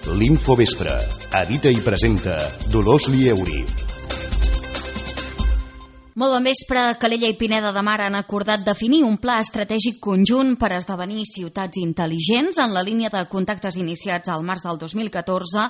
L'Infovespre. Edita i presenta Dolors Lieuri. Molt bon vespre. Calella i Pineda de Mar han acordat definir un pla estratègic conjunt per esdevenir ciutats intel·ligents. En la línia de contactes iniciats al març del 2014,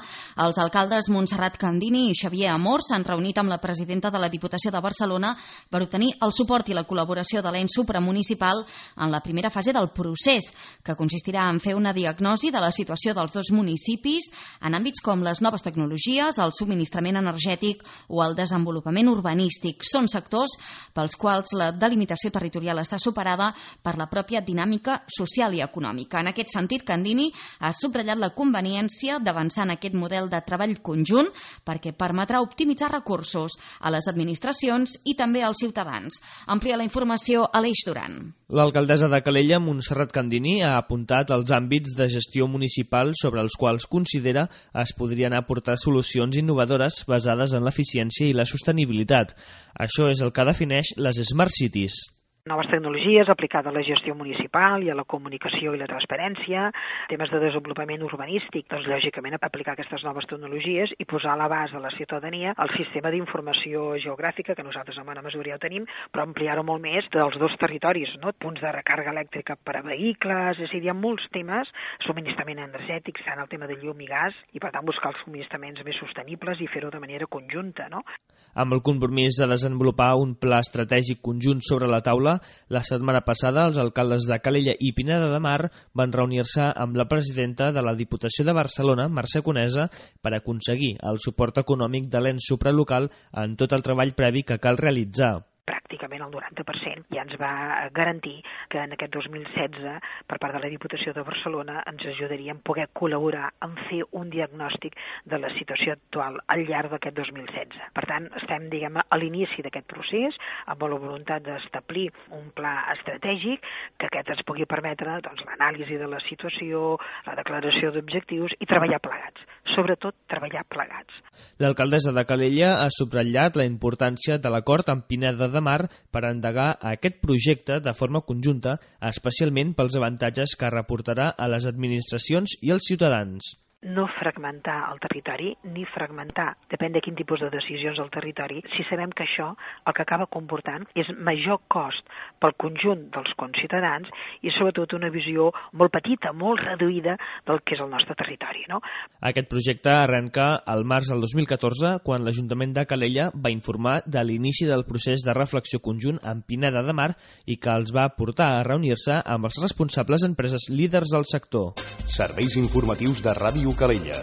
els alcaldes Montserrat Candini i Xavier Amor s'han reunit amb la presidenta de la Diputació de Barcelona per obtenir el suport i la col·laboració de l'ens supramunicipal en la primera fase del procés, que consistirà en fer una diagnosi de la situació dels dos municipis en àmbits com les noves tecnologies, el subministrament energètic o el desenvolupament urbanístic. Són sectors pels quals la delimitació territorial està superada per la pròpia dinàmica social i econòmica. En aquest sentit, Candini ha subratllat la conveniència d'avançar en aquest model de treball conjunt perquè permetrà optimitzar recursos a les administracions i també als ciutadans. Amplia la informació Aleix Duran. L'alcaldessa de Calella, Montserrat Candini, ha apuntat els àmbits de gestió municipal sobre els quals considera es podrien aportar solucions innovadores basades en l'eficiència i la sostenibilitat. Això és el que defineix les Smart Cities. Noves tecnologies aplicades a la gestió municipal i a la comunicació i la transparència, temes de desenvolupament urbanístic, doncs lògicament aplicar aquestes noves tecnologies i posar a l'abast de la ciutadania el sistema d'informació geogràfica, que nosaltres en bona mesura ja ho tenim, però ampliar-ho molt més dels dos territoris, no? Punts de recàrrega elèctrica per a vehicles, és a dir, hi ha molts temes, subministrament energètic, tant el tema de llum i gas, i per tant buscar els subministraments més sostenibles i fer-ho de manera conjunta, no? Amb el compromís de desenvolupar un pla estratègic conjunt sobre la taula, la setmana passada els alcaldes de Calella i Pineda de Mar van reunir-se amb la presidenta de la Diputació de Barcelona, Mercè Conesa, per aconseguir el suport econòmic de l'ens supralocal en tot el treball previ que cal realitzar. Pràcticament el 90%, ja ens va garantir que en aquest 2016, per part de la Diputació de Barcelona, ens ajudaria a poder col·laborar en fer un diagnòstic de la situació actual al llarg d'aquest 2016. Per tant, estem, a l'inici d'aquest procés, amb la voluntat d'establir un pla estratègic que aquest ens pugui permetre l'anàlisi de la situació, la declaració d'objectius i treballar plegats. Sobretot, treballar plegats. L'alcaldessa de Calella ha subratllat la importància de l'acord amb Pineda de Mar per endegar aquest projecte de forma conjunta, especialment pels avantatges que reportarà a les administracions i als ciutadans. No fragmentar el territori, ni fragmentar, depèn de quin tipus de decisions del territori, si sabem que això el que acaba comportant és major cost pel conjunt dels conciutadans i sobretot una visió molt petita, molt reduïda del que és el nostre territori, no? Aquest projecte arrenca al març del 2014, quan l'Ajuntament de Calella va informar de l'inici del procés de reflexió conjunt amb Pineda de Mar i que els va portar a reunir-se amb els responsables empreses líders del sector. Serveis informatius de Ràdio Calella.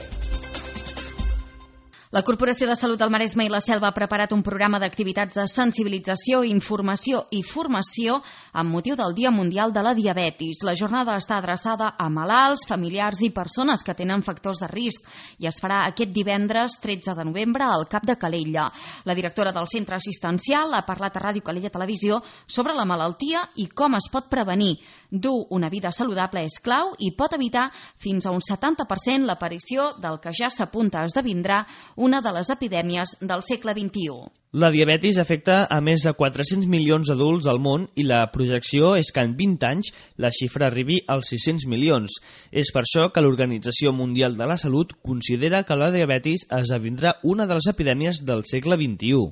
La Corporació de Salut del Maresme i la Selva ha preparat un programa d'activitats de sensibilització, informació i formació amb motiu del Dia Mundial de la Diabetis. La jornada està adreçada a malalts, familiars i persones que tenen factors de risc i es farà aquest divendres 13 de novembre al CAP de Calella. La directora del centre assistencial ha parlat a Ràdio Calella Televisió sobre la malaltia i com es pot prevenir. Dur una vida saludable és clau i pot evitar fins a un 70% l'aparició del que ja s'apunta a esdevindrà una de les epidèmies del segle XXI. La diabetis afecta a més de 400 milions d'adults al món i la projecció és que en 20 anys la xifra arribi als 600 milions. És per això que l'Organització Mundial de la Salut considera que la diabetis esdevindrà una de les epidèmies del segle XXI.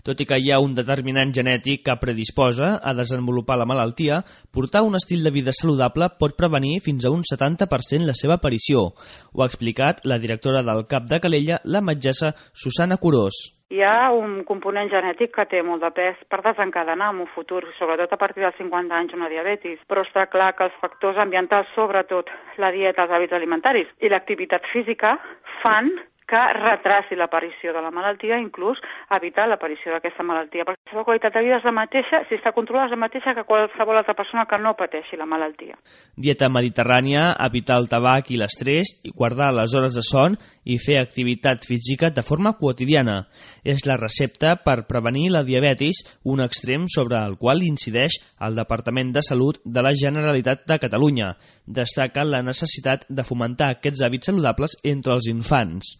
Tot i que hi ha un determinant genètic que predisposa a desenvolupar la malaltia, portar un estil de vida saludable pot prevenir fins a un 70% la seva aparició. Ho ha explicat la directora del CAP de Calella, la metgessa Susana Curós. Hi ha un component genètic que té molt de pes per desencadenar en un futur, sobretot a partir dels 50 anys, una diabetis. Però està clar que els factors ambientals, sobretot la dieta, els hàbits alimentaris i l'activitat física, fan que retraci l'aparició de la malaltia, inclús evitar l'aparició d'aquesta malaltia. Perquè la seva qualitat de vida és la mateixa, si està controlada és la mateixa que qualsevol altra persona que no pateixi la malaltia. Dieta mediterrània, evitar el tabac i l'estrès, guardar les hores de son i fer activitat física de forma quotidiana. És la recepta per prevenir la diabetis, un extrem sobre el qual incideix el Departament de Salut de la Generalitat de Catalunya. Destaca la necessitat de fomentar aquests hàbits saludables entre els infants.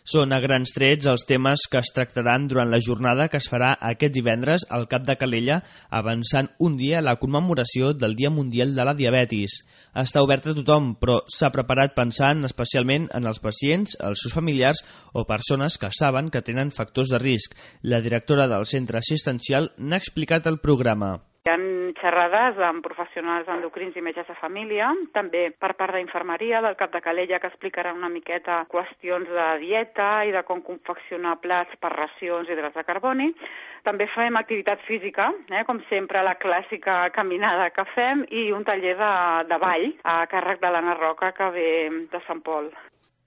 Són a grans trets els temes que es tractaran durant la jornada que es farà aquest divendres al Cap de Calella, avançant un dia a la commemoració del Dia Mundial de la Diabetis. Està obert a tothom, però s'ha preparat pensant especialment en els pacients, els seus familiars o persones que saben que tenen factors de risc. La directora del centre assistencial n'ha explicat el programa. Hi ha xerrades amb professionals endocrins i metges de família, també per part d'infermeria del Cap de Calella, que explicarà una miqueta qüestions de dieta i de com confeccionar plats per racions i hidrats de carboni. També fem activitat física, com sempre la clàssica caminada que fem, i un taller de ball a càrrec de l'Anna Roca, que ve de Sant Pol.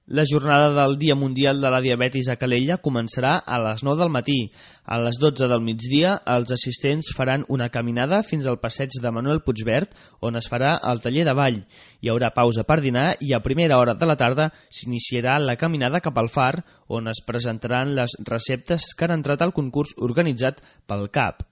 La jornada del Dia Mundial de la Diabetis a Calella començarà a les 9 del matí. A les 12 del migdia, els assistents faran una caminada fins al passeig de Manuel Puigvert, on es farà el taller de ball. Hi haurà pausa per dinar i a primera hora de la tarda s'iniciarà la caminada cap al far, on es presentaran les receptes que han entrat al concurs organitzat pel CAP.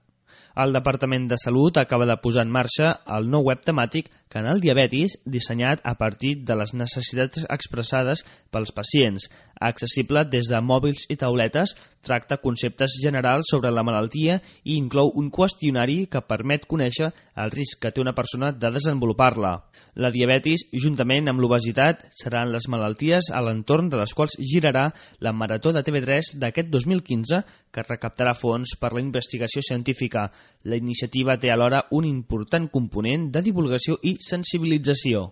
El Departament de Salut acaba de posar en marxa el nou web temàtic Canal Diabetis, dissenyat a partir de les necessitats expressades pels pacients. Accessible des de mòbils i tauletes, tracta conceptes generals sobre la malaltia i inclou un qüestionari que permet conèixer el risc que té una persona de desenvolupar-la. La diabetis, juntament amb l'obesitat, seran les malalties a l'entorn de les quals girarà la Marató de TV3 d'aquest 2015, que recaptarà fons per la investigació científica. La iniciativa té alhora un important component de divulgació i sensibilització.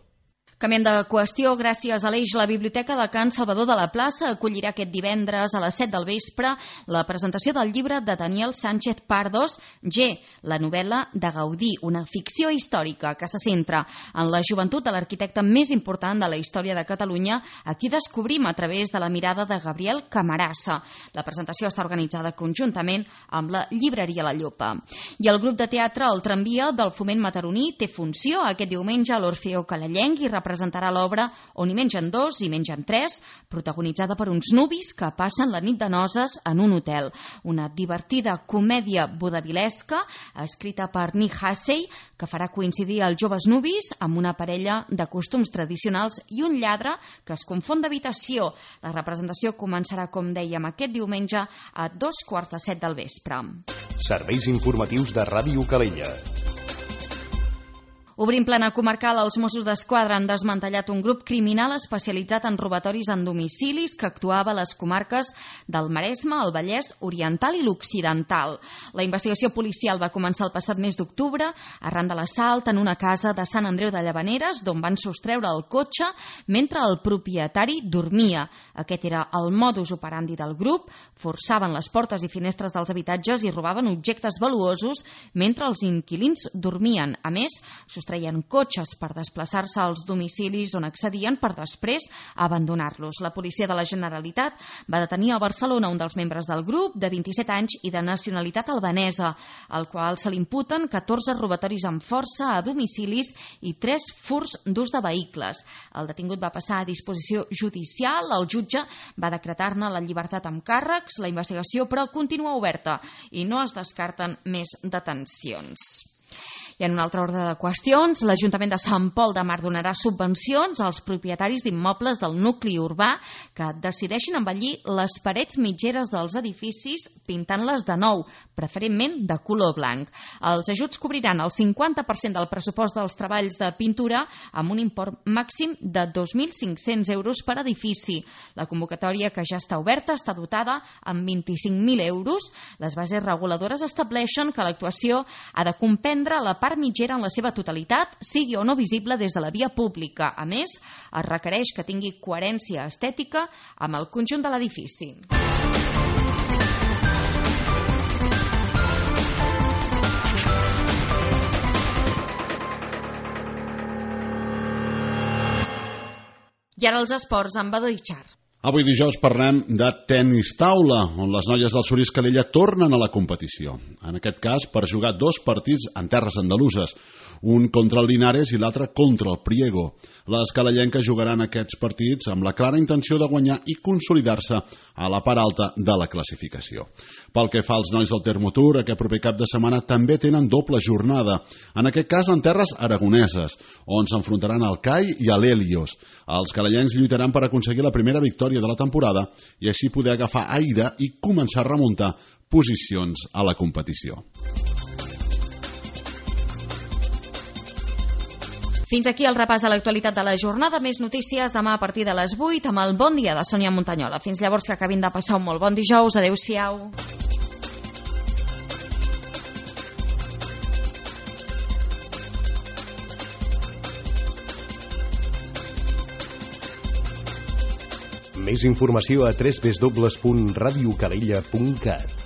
Canviem de qüestió. Gràcies a l'Eix, la Biblioteca de Can Salvador de la Plaça acollirà aquest divendres a les 7 del vespre la presentació del llibre de Daniel Sánchez Pardos, G, la novel·la de Gaudí, una ficció històrica que se centra en la joventut de l'arquitecte més important de la història de Catalunya, a qui descobrim a través de la mirada de Gabriel Camarasa. La presentació està organitzada conjuntament amb la llibreria La Llopa. I el grup de teatre El Tramvia del Foment Mataroní té funció aquest diumenge a l'Orfeó Calellenc i representarà l'obra On hi mengen dos i mengen tres, protagonitzada per uns nuvis que passen la nit de noces en un hotel. Una divertida comèdia vodavilesca escrita per Nick Hassey, que farà coincidir els joves nuvis amb una parella de costums tradicionals i un lladre que es confon d'habitació. La representació començarà, com dèiem, aquest diumenge a 7:15 del vespre. Serveis informatius de Ràdio Calella. Obrim plana comarcal, els Mossos d'Esquadra han desmantellat un grup criminal especialitzat en robatoris en domicilis que actuava a les comarques del Maresme, el Vallès Oriental i l'Occidental. La investigació policial va començar el passat mes d'octubre arran de l'assalt en una casa de Sant Andreu de Llavaneres, d'on van sostreure el cotxe mentre el propietari dormia. Aquest era el modus operandi del grup. Forçaven les portes i finestres dels habitatges i robaven objectes valuosos mentre els inquilins dormien. A més, treien cotxes per desplaçar-se als domicilis on accedien per després abandonar-los. La policia de la Generalitat va detenir a Barcelona un dels membres del grup, de 27 anys i de nacionalitat albanesa, al qual se li imputen 14 robatoris amb força a domicilis i 3 furts d'ús de vehicles. El detingut va passar a disposició judicial, el jutge va decretar-ne la llibertat amb càrrecs, la investigació però continua oberta i no es descarten més detencions. I en un altre ordre de qüestions, l'Ajuntament de Sant Pol de Mar donarà subvencions als propietaris d'immobles del nucli urbà que decideixin embellir les parets mitgeres dels edificis pintant-les de nou, preferentment de color blanc. Els ajuts cobriran el 50% del pressupost dels treballs de pintura amb un import màxim de 2.500 euros per edifici. La convocatòria, que ja està oberta, està dotada amb 25.000 euros. Les bases reguladores estableixen que l'actuació ha de comprendre la part mitgera en la seva totalitat, sigui o no visible des de la via pública. A més, es requereix que tingui coherència estètica amb el conjunt de l'edifici. I ara els esports amb Badó Ixar. Avui dijous parlem de tenis taula, on les noies del Surís Calella tornen a la competició. En aquest cas, per jugar 2 partits en terres andaluses, un contra el Linares i l'altre contra el Priego. Les calellenques jugaran aquests partits amb la clara intenció de guanyar i consolidar-se a la part alta de la classificació. Pel que fa als nois del Termotur, aquest proper cap de setmana també tenen doble jornada, en aquest cas en terres aragoneses, on s'enfrontaran al CAI i a l'Helios. Els calellencs lluitaran per aconseguir la primera victòria victòria de la temporada i així poder agafar aire i començar a remuntar posicions a la competició. Fins aquí el repàs de l'actualitat de la jornada. Més notícies demà a partir de les 8 amb el Bon Dia de Sònia Montanyola. Fins llavors, que acabin de passar un molt bon dijous. Adéu-siau. Més informació a www.radiocalella.cat.